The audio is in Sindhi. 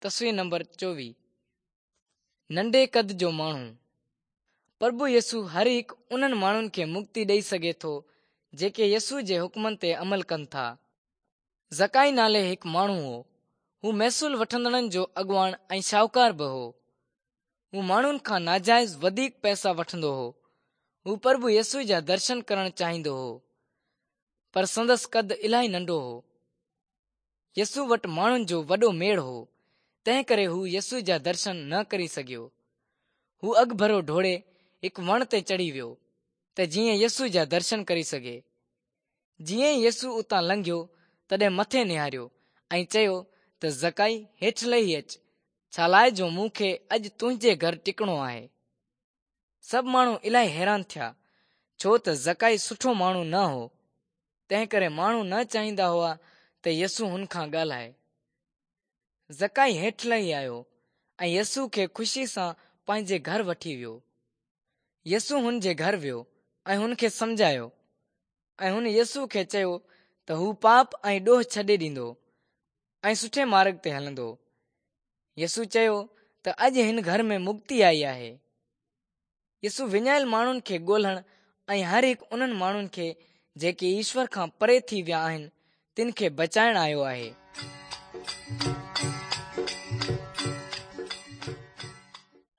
تصوير نمبر 24 ننڍي قد جو ماڻهو. پرڀو يسوع هر هڪ انهن ماڻهن کي مڪتي ڏئي سگهي ٿو جيڪي يسوع جي حڪمن تي عمل ڪن ٿا. زڪائي نالي هڪ ماڻهو هو. هو محصول وٺندڙن جو اڳواڻ ۽ شاهوڪار به هو. هو ماڻهن کان ناجائز وڌيڪ پئسا وٺندو هو. هو پرڀو يسوع جا درشن ڪرڻ چاهيندو هو. پر سندس قد الاهي ننڍو هو. يسوع وٽ ماڻهن جو وڏو ميڙ هو، تنهنڪري هو يسوع جا درشن نه ڪري سگهيو. هو اڳڀرو ڊوڙي هڪ وڻ تي چڙهي ويو، ته جيئن يسوع جا درشن ڪري سگهي. جيئن ئي يسوع اتان لنگهيو، تڏهن مٿي نهاريو ۽ چيو ته زڪائي هيٺ لهي اچ، ڇالاء جو مون کي اڄ تنهنجي گهر ٽڪڻو آهي. سڀ ماڻهو الاهي حيران ٿيا، ڇو ته زڪائي سٺو ماڻهو نه هو. تنهنڪري ماڻهو نه چاهيندا هئا ته يسوع هن کان ڳالهائي. زڪائي هيٺ لهي آيو ۽ يسوع کي خوشيء سان پنهنجي گهر وٺي ويو. يسوع هن جي گهر ويو ۽ هن کي سمجهايو ۽ هن يسوع کي چيو ته هو پاپ ۽ ڏوهه ڇڏي ڏيندو ۽ سٺي مارڳ تي هلندو. يسوع چيو ته اڄ هن گهر ۾ مڪتي آئي آهي. يسوع وڃايل ماڻهن کي ڳولڻ ۽ هر هڪ انهن ماڻهن کي جيڪي ايشور کان پري ٿي ويا آهن، تن کي بچائڻ آيو آهي.